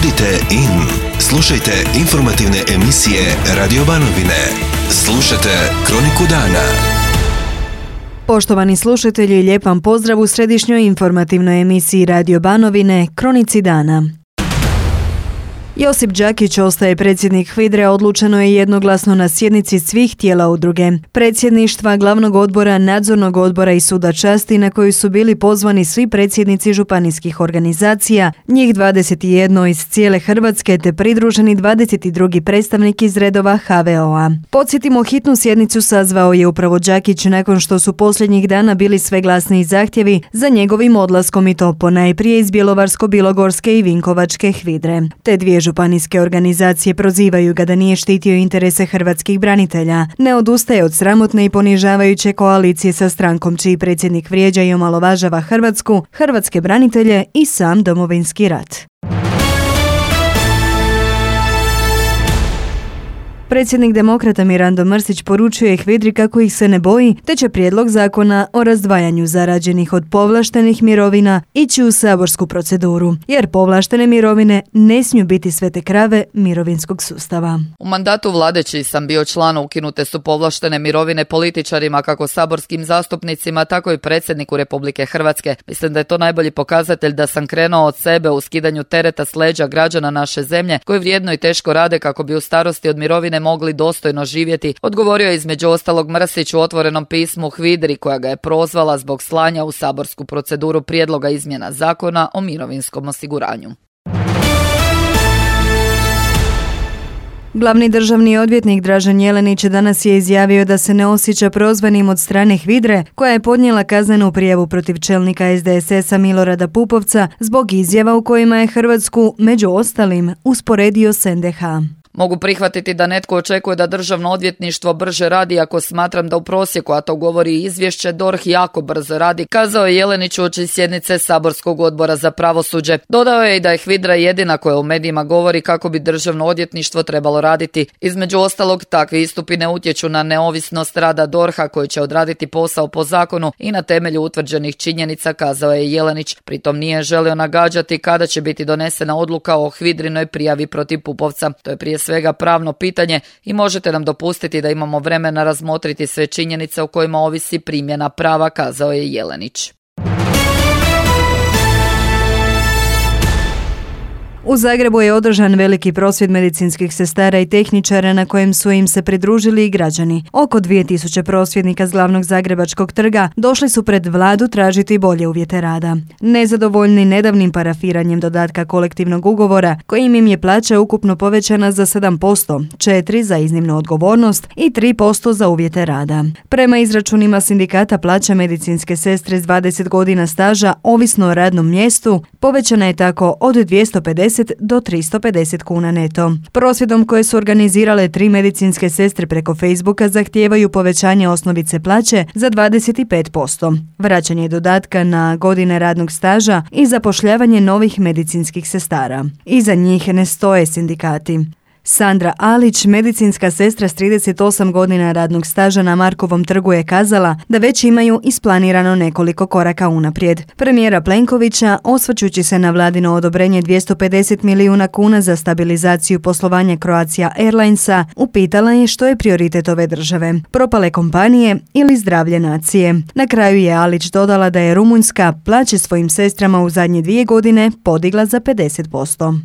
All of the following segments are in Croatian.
Budite in. Slušajte informativne emisije Radio Banovine. Slušajte Kroniku dana. Poštovani slušatelji, lijep vam pozdrav u središnjoj informativnoj emisiji Radio Banovine, Kronici dana. Josip Đakić ostaje predsjednik HVIDRE, odlučeno je jednoglasno na sjednici svih tijela udruge. Predsjedništva, glavnog odbora, nadzornog odbora i suda časti na koju su bili pozvani svi predsjednici županijskih organizacija, njih 21 iz cijele Hrvatske te pridruženi 22. predstavnik iz redova HVO-a. Podsjetimo, hitnu sjednicu sazvao je upravo Đakić nakon što su posljednjih dana bili sve glasniji zahtjevi za njegovim odlaskom i to ponajprije iz Bjelovarsko-bilogorske i Vinkovačke HVIDRE. Te dvije županijske organizacije prozivaju ga da nije štitio interese hrvatskih branitelja, ne odustaje od sramotne i ponižavajuće koalicije sa strankom čiji predsjednik vrijeđa i omalovažava Hrvatsku, hrvatske branitelje i sam Domovinski rat. Predsjednik Demokrata Mirando Mrsić poručuje HVIDRI kako ih se ne boji, te će prijedlog zakona o razdvajanju zarađenih od povlaštenih mirovina ići u saborsku proceduru, jer povlaštene mirovine ne smiju biti svete krave mirovinskog sustava. U mandatu vlade čiji sam bio član, ukinute su povlaštene mirovine političarima, kako saborskim zastupnicima, tako i predsjedniku Republike Hrvatske. Mislim da je to najbolji pokazatelj da sam krenuo od sebe u skidanju tereta s leđa građana naše zemlje, koji vrijedno i teško rade kako bi u starosti od mirovine mogli dostojno živjeti, odgovorio je između ostalog Mrsić u otvorenom pismu HVIDRI, koja ga je prozvala zbog slanja u saborsku proceduru prijedloga izmjena zakona o mirovinskom osiguranju. Glavni državni odvjetnik Dražen Jelenić danas je izjavio da se ne osjeća prozvanim od strane HVIDRE, koja je podnijela kaznenu prijavu protiv čelnika SDSS-a Milorada Pupovca zbog izjava u kojima je Hrvatsku, među ostalim, usporedio s NDH. Mogu prihvatiti da netko očekuje da državno odvjetništvo brže radi ako smatram da u prosjeku, a to govori izvješće, DORH jako brzo radi, kazao je Jelenić uoči sjednice saborskog odbora za pravosuđe. Dodao je i da je HVIDRA jedina koja u medijima govori kako bi državno odvjetništvo trebalo raditi. Između ostalog, takvi istupi ne utječu na neovisnost rada DORH-a koji će odraditi posao po zakonu i na temelju utvrđenih činjenica, kazao je Jelenić. Pritom nije želio nagađati kada će biti donesena odluka o HVIDRInoj prijavi protiv Pupovca. To je prije svega pravno pitanje i možete nam dopustiti da imamo vremena razmotriti sve činjenice o kojima ovisi primjena prava, kazao je Jelenić. U Zagrebu je održan veliki prosvjed medicinskih sestara i tehničara na kojem su im se pridružili i građani. Oko 2000 prosvjednika s glavnog zagrebačkog trga došli su pred vladu tražiti bolje uvjete rada. Nezadovoljni nedavnim parafiranjem dodatka kolektivnog ugovora, kojim im je plaća ukupno povećana za 7%, 4% za iznimnu odgovornost i 3% za uvjete rada. Prema izračunima sindikata, plaća medicinske sestre s 20 godina staža, ovisno o radnom mjestu, povećana je tako od 250 do 350 kuna neto. Prosvjedom koje su organizirale 3 medicinske sestre preko Facebooka zahtijevaju povećanje osnovice plaće za 25%, vraćanje dodatka na godine radnog staža i zapošljavanje novih medicinskih sestara. Iza njih ne stoje sindikati. Sandra Alić, medicinska sestra s 38 godina radnog staža na Markovom trgu, je kazala da već imaju isplanirano nekoliko koraka unaprijed. Premijera Plenkovića, osvrćući se na vladino odobrenje 250 milijuna kuna za stabilizaciju poslovanja Croatia Airlinesa, upitala je što je prioritet ove države, propale kompanije ili zdravlje nacije. Na kraju je Alić dodala da je Rumunjska plaće svojim sestrama u zadnje 2 godine podigla za 50%.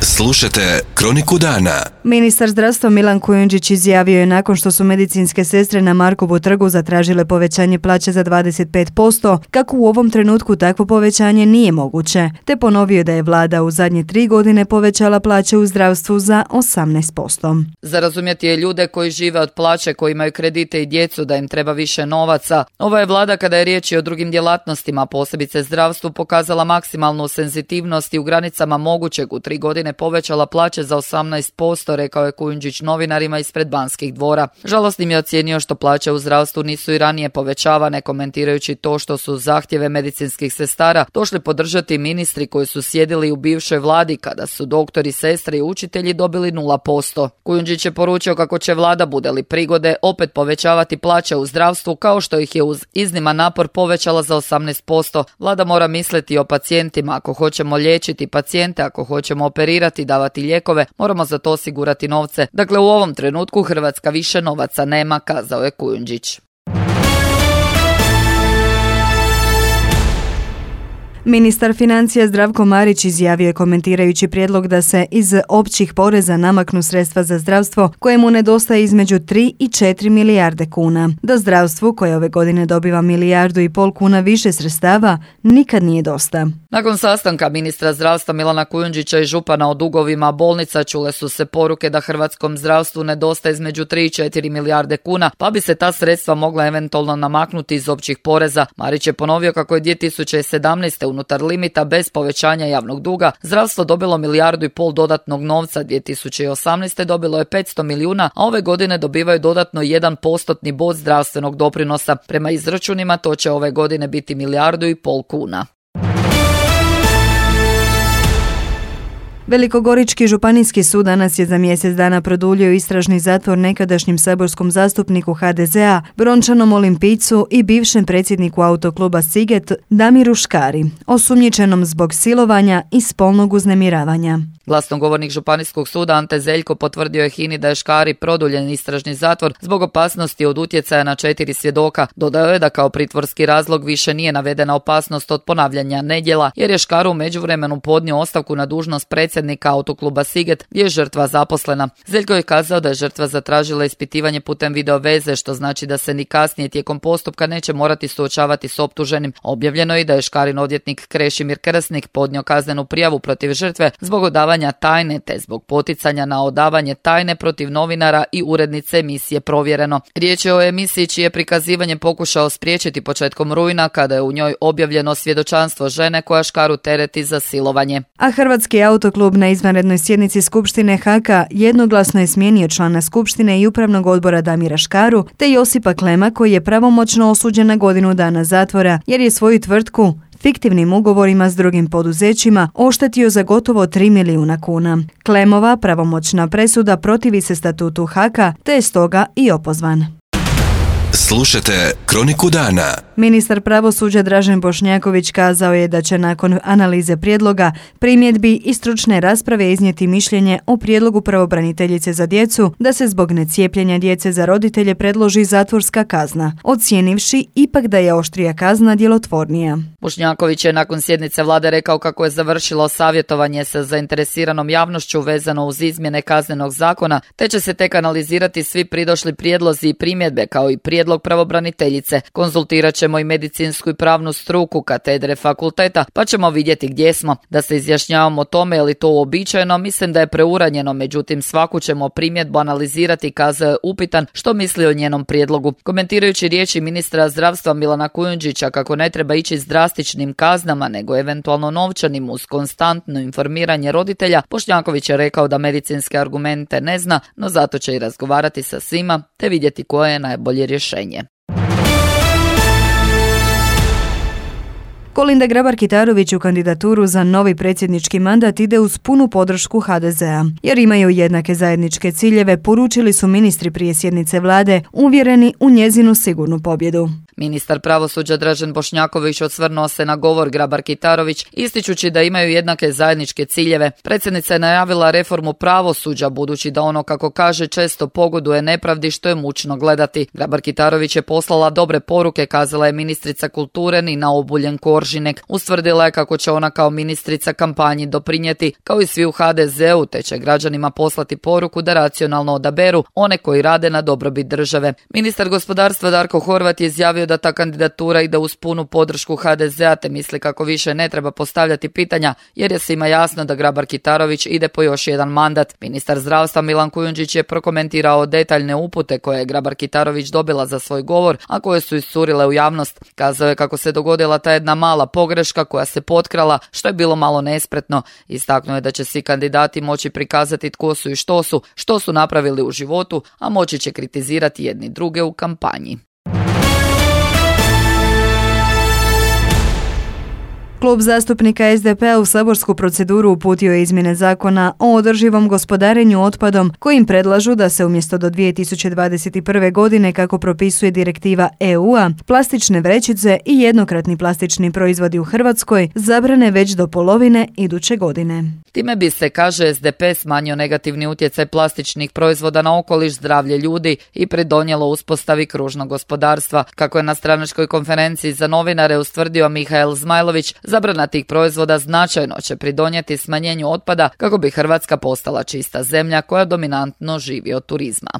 Slušajte Kroniku dana. Ministar zdravstva Milan Kujundžić izjavio je nakon što su medicinske sestre na Markovu trgu zatražile povećanje plaće za 25%, kako u ovom trenutku takvo povećanje nije moguće, te ponovio da je vlada u zadnje 3 godine povećala plaće u zdravstvu za 18%. Za razumjeti je ljude koji žive od plaće, koji imaju kredite i djecu, da im treba više novaca. Ova je vlada, kada je riječ i o drugim djelatnostima, posebice zdravstvu, pokazala maksimalnu senzitivnost i u granicama mogućeg u 3 godine povećala plaće za 18%, rekao je Kujundžić novinarima ispred Banskih dvora. Žalosnim je ocijenio što plaće u zdravstvu nisu i ranije povećavane, komentirajući to što su zahtjeve medicinskih sestara došli podržati ministri koji su sjedili u bivšoj vladi kada su doktori, sestre i učitelji dobili 0%. Kujundžić je poručio kako će vlada, bude li prigode, opet povećavati plaće u zdravstvu kao što ih je uz izniman napor povećala za 18%. Vlada mora misliti o pacijentima. Ako hoćemo liječiti pacijente, ako hoćemo operirati, davati lijekove, moramo za to osigurati novce. Dakle, u ovom trenutku Hrvatska više novaca nema, kazao je Kujundžić. Ministar financija Zdravko Marić izjavio je komentirajući prijedlog da se iz općih poreza namaknu sredstva za zdravstvo kojemu nedostaje između 3 i 4 milijarde kuna. Da zdravstvu, koje ove godine dobiva 1,5 milijardu kuna više sredstava, nikad nije dosta. Nakon sastanka ministra zdravstva Milana Kujundžića i župana o dugovima bolnica čule su se poruke da hrvatskom zdravstvu nedostaje između 3 i 4 milijarde kuna, pa bi se ta sredstva mogla eventualno namaknuti iz općih poreza. Marić je ponovio kako je 2017. unutar limita bez povećanja javnog duga zdravstvo dobilo 1,5 milijardu dodatnog novca, 2018. dobilo je 500 milijuna, a ove godine dobivaju dodatno 1% bod zdravstvenog doprinosa. Prema izračunima to će ove godine biti 1,5 milijardu kuna. Velikogorički županijski sud danas je za mjesec dana produljio istražni zatvor nekadašnjem saborskom zastupniku HDZ-a, brončanom olimpijcu i bivšem predsjedniku autokluba Siget Damiru Škari, osumnjičenom zbog silovanja i spolnog uznemiravanja. Glasnogovornik Županijskog suda Ante Zeljko potvrdio je HINA-i da je Škari produljen istražni zatvor zbog opasnosti od utjecaja na 4 svjedoka. Dodao je da kao pritvorski razlog više nije navedena opasnost od ponavljanja nedjela, jer je Škaru u međuvremenu podnio ostavku na dužnost predsjednika autokluba Siget, gdje je žrtva zaposlena. Zeljko je kazao da je žrtva zatražila ispitivanje putem video veze, što znači da se ni kasnije tijekom postupka neće morati suočavati s optuženim. Objavljeno je i da je Škarin odvjetnik Krešimir Krsnik podnio kaznenu prijavu protiv žrtve zbog odavanja tajne te zbog poticanja na odavanje tajne protiv novinara i urednice emisije Provjereno. Riječ je o emisiji čije prikazivanje pokušao spriječiti početkom rujna kada je u njoj objavljeno svjedočanstvo žene koja Škaru tereti za silovanje. A Hrvatski autoklub na izvanrednoj sjednici Skupštine HK jednoglasno je smijenio člana Skupštine i upravnog odbora Damira Škaru te Josipa Klema koji je pravomoćno osuđen na 1 godinu dana zatvora jer je svoju tvrtku fiktivnim ugovorima s drugim poduzećima oštetio za gotovo 3 milijuna kuna. Klemova pravomoćna presuda protivi se statutu HK te je stoga i opozvan. Slušajte Kroniku dana. Ministar pravosuđa Dražen Bošnjaković kazao je da će nakon analize prijedloga, primjedbi i stručne rasprave iznijeti mišljenje o prijedlogu pravobraniteljice za djecu da se zbog necijepljenja djece za roditelje predloži zatvorska kazna, ocijenivši ipak da je oštrija kazna djelotvornija. Bošnjaković je nakon sjednice vlade rekao kako je završilo savjetovanje sa zainteresiranom javnošću vezano uz izmjene kaznenog zakona, te će se tek analizirati svi pridošli prijedlozi i primjedbe kao i prijedlog pravobraniteljice. Konzultirat ćemo i medicinsku i pravnu struku katedre fakulteta, pa ćemo vidjeti gdje smo. Da se izjašnjavamo o tome je li to uobičajeno, mislim da je preuranjeno, međutim svaku ćemo primjedbu analizirati, kazao je upitan što misli o njenom prijedlogu. Komentirajući riječi ministra zdravstva Milana Kujundžića kako ne treba ići s drastičnim kaznama nego eventualno novčanim uz konstantno informiranje roditelja, Bošnjaković je rekao da medicinske argumente ne zna, no zato će i razgovarati sa svima te vidjeti koje je najbolje rješenje. Kolinda Grabar-Kitarović u kandidaturu za novi predsjednički mandat ide uz punu podršku HDZ-a. Jer imaju jednake zajedničke ciljeve, poručili su ministri prije sjednice vlade, uvjereni u njezinu sigurnu pobjedu. Ministar pravosuđa Dražen Bošnjaković osvrnuo se na govor Grabar-Kitarović, ističući da imaju jednake zajedničke ciljeve. Predsjednica je najavila reformu pravosuđa, budući da ono, kako kaže, često pogoduje nepravdi što je mučno gledati. Grabar-Kitarović je poslala dobre poruke, kazala je ministrica kulture Nina Obuljen-Koržinek. Ustvrdila je kako će ona kao ministrica kampanji doprinijeti, kao i svi u HDZ-u, te će građanima poslati poruku da racionalno odaberu one koji rade na dobrobit države. Ministar gospodarstva Darko Horvat je izjavio izjavio da ta kandidatura ide uz punu podršku HDZ-a te misli kako više ne treba postavljati pitanja jer je svima jasno da Grabar-Kitarović ide po još jedan mandat. Ministar zdravstva Milan Kujundžić je prokomentirao detaljne upute koje je Grabar-Kitarović dobila za svoj govor, a koje su iscurile u javnost. Kazao je kako se dogodila ta jedna mala pogreška koja se potkrala, što je bilo malo nespretno. Istaknuo je da će svi kandidati moći prikazati tko su i što su napravili u životu, a moći će kritizirati jedni druge u kampanji. Klub zastupnika SDP-a u saborsku proceduru uputio je izmjene zakona o održivom gospodarenju otpadom kojim predlažu da se umjesto do 2021. godine, kako propisuje direktiva EU-a, plastične vrećice i jednokratni plastični proizvodi u Hrvatskoj zabrane već do polovine iduće godine. Time bi se, kaže SDP, smanjio negativni utjecaj plastičnih proizvoda na okoliš, zdravlje ljudi i pridonijelo uspostavi kružnog gospodarstva. Kako je na stranačkoj konferenciji za novinare ustvrdio Mihael Zmajlović, zabrana tih proizvoda značajno će pridonijeti smanjenju otpada kako bi Hrvatska postala čista zemlja koja dominantno živi od turizma.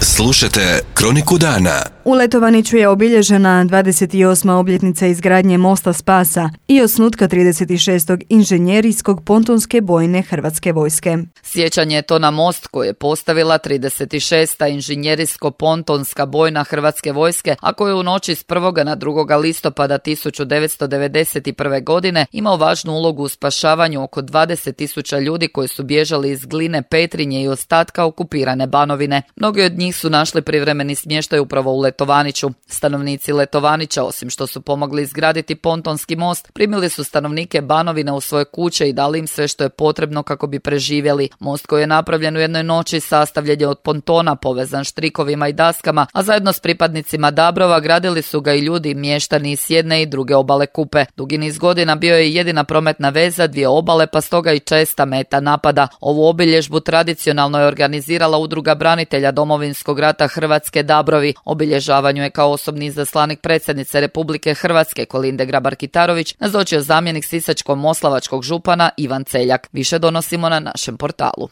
Slušajte Kroniku dana. U Letovaniću je obilježena 28. obljetnica izgradnje mosta Spasa i osnutka 36. inženjerijskog pontonske bojne Hrvatske vojske. Sjećanje je to na most koji je postavila 36. inženjerijsko-pontonska bojna Hrvatske vojske, a koji je u noći s 1. na 2. listopada 1991. godine imao važnu ulogu u spašavanju oko 20.000 ljudi koji su bježali iz Gline, Petrinje i ostatka okupirane Banovine. Mnogi od njih su našli privremeni smještaj upravo u Letovaniću. Stanovnici Letovanića, osim što su pomogli izgraditi pontonski most, primili su stanovnike Banovine u svoje kuće i dali im sve što je potrebno kako bi preživjeli. Most koji je napravljen u jednoj noći sastavljen je od pontona povezan štrikovima i daskama, a zajedno s pripadnicima Dabrova gradili su ga i ljudi, mještani s jedne i druge obale Kupe. Dugi niz godina bio je jedina prometna veza dvije obale, pa stoga i česta meta napada. Ovu obilježbu tradicionalno je organizirala Udruga branitelja Domovinskog rata Hrvatske Dabrovi. Obilježavanju je kao osobni izaslanik predsjednice Republike Hrvatske Kolinde Grabar-Kitarović nazočio zamjenik sisačko-moslavačkog župana Ivan Celjak. Više donosimo na našem portalu.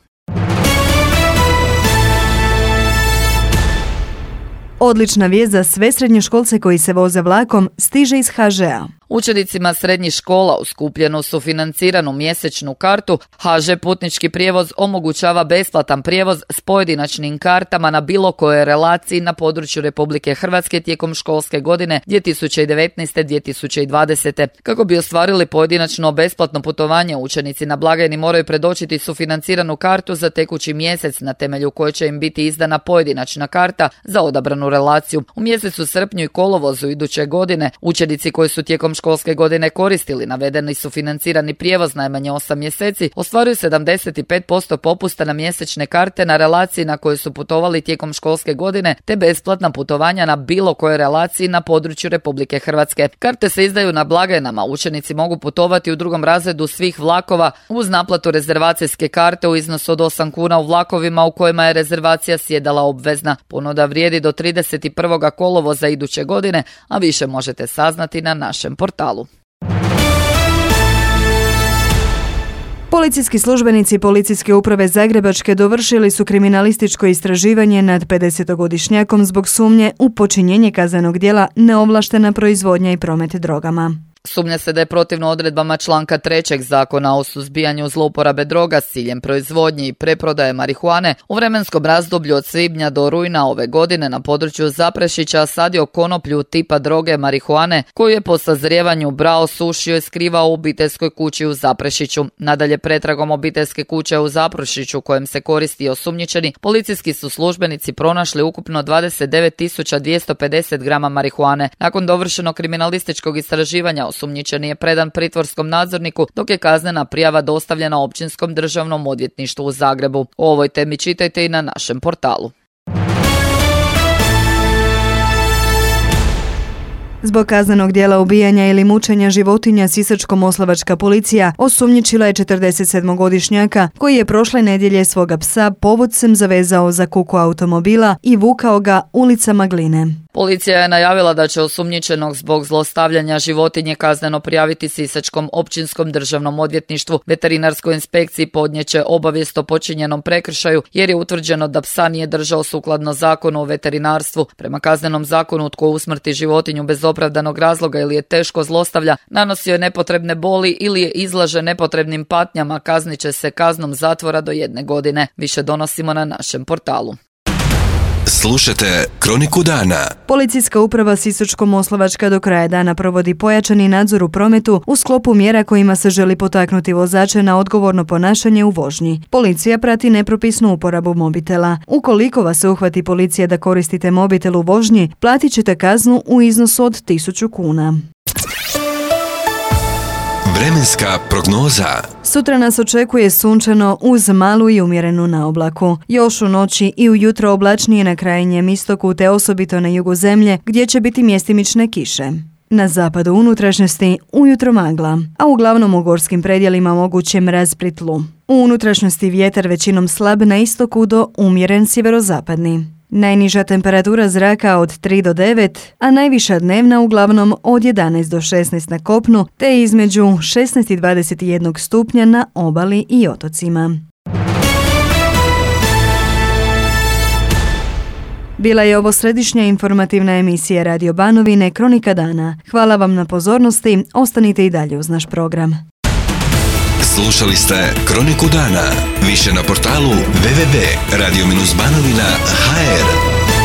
Odlična vijest za sve srednjoškolce koji se voze vlakom stiže iz HŽ-a. Učenicima srednjih škola uz kupljenu sufinanciranu mjesečnu kartu HŽ Putnički prijevoz omogućava besplatan prijevoz s pojedinačnim kartama na bilo kojoj relaciji na području Republike Hrvatske tijekom školske godine 2019-2020. Kako bi ostvarili pojedinačno besplatno putovanje, učenici na blagajni moraju predočiti sufinanciranu kartu za tekući mjesec na temelju koje će im biti izdana pojedinačna karta za odabranu relaciju. U mjesecu srpnju i kolovozu iduće godine učenici koji su tijekom školske godine koristili navedeni sufinancirani prijevoz najmanje 8 mjeseci, ostvaruju 75% popusta na mjesečne karte na relaciji na kojoj su putovali tijekom školske godine, te besplatna putovanja na bilo kojoj relaciji na području Republike Hrvatske. Karte se izdaju na blagajnama. Učenici mogu putovati u drugom razredu svih vlakova uz naplatu rezervacijske karte u iznosu od 8 kuna u vlakovima u kojima je rezervacija sjedala obvezna. Ponuda vrijedi do 31. kolovoza iduće godine, a više možete saznati na našem portalu. Policijski službenici Policijske uprave Zagrebačke dovršili su kriminalističko istraživanje nad 50-godišnjakom zbog sumnje u počinjenje kaznenog djela neovlaštena proizvodnja i promet drogama. Sumnja se da je protivno odredbama članka 3. Zakona o suzbijanju zlouporabe droga s ciljem proizvodnje i preprodaje marihuane u vremenskom razdoblju od svibnja do rujna ove godine na području Zaprešića sadio konoplju tipa droge marihuane koju je po sazrijevanju brao, sušio i skrivao u obiteljskoj kući u Zaprešiću. Nadalje, pretragom obiteljske kuće u Zaprešiću kojem se koristi osumnjičeni, policijski su službenici pronašli ukupno 29.250 grama marihuane. Nakon dovršenog kriminalističkog istraživanja osumnjičeni je predan pritvorskom nadzorniku, dok je kaznena prijava dostavljena Općinskom državnom odvjetništvu u Zagrebu. O ovoj temi čitajte i na našem portalu. Zbog kaznenog djela ubijanja ili mučenja životinja Sisačko-moslavačka policija osumnjičila je 47-godišnjaka koji je prošle nedjelje svoga psa povodcem zavezao za kuku automobila i vukao ga ulicama Gline. Policija je najavila da će osumnjičenog zbog zlostavljanja životinje kazneno prijaviti Sisačkom općinskom državnom odvjetništvu. Veterinarskoj inspekciji podnijeće obavijest o počinjenom prekršaju jer je utvrđeno da psa nije držao sukladno zakonu o veterinarstvu. Prema kaznenom zakonu tko usmrti životinju bez opravdanog razloga ili je teško zlostavlja, nanosio je nepotrebne boli ili je izlaže nepotrebnim patnjama, kaznit će se kaznom zatvora do 1 godine. Više donosimo na našem portalu. Slušajte Kroniku dana. Policijska uprava Sisačko-moslavačka do kraja dana provodi pojačani nadzor u prometu u sklopu mjera kojima se želi potaknuti vozače na odgovorno ponašanje u vožnji. Policija prati nepropisnu uporabu mobitela. Ukoliko vas se uhvati policija da koristite mobitel u vožnji, platit ćete kaznu u iznosu od 1000 kuna. Vremenska prognoza. Sutra nas očekuje sunčano uz malu i umjerenu naoblaku. Još u noći i ujutro oblačnije na krajnjem istoku te osobito na jugu zemlje gdje će biti mjestimične kiše. Na zapadu unutrašnjosti ujutro magla, a uglavnom u gorskim predjelima moguće mraz pri tlu. U unutrašnjosti vjetar većinom slab na istoku do umjeren sjeverozapadni. Najniža temperatura zraka od 3 do 9, a najviša dnevna uglavnom od 11 do 16 na kopnu, te između 16 i 21 stupnja na obali i otocima. Bila je ovo središnja informativna emisija Radio Banovine Kronika dana. Hvala vam na pozornosti, ostanite i dalje uz naš program. Slušali ste Kroniku dana. Više na portalu www.radio-banovina.hr.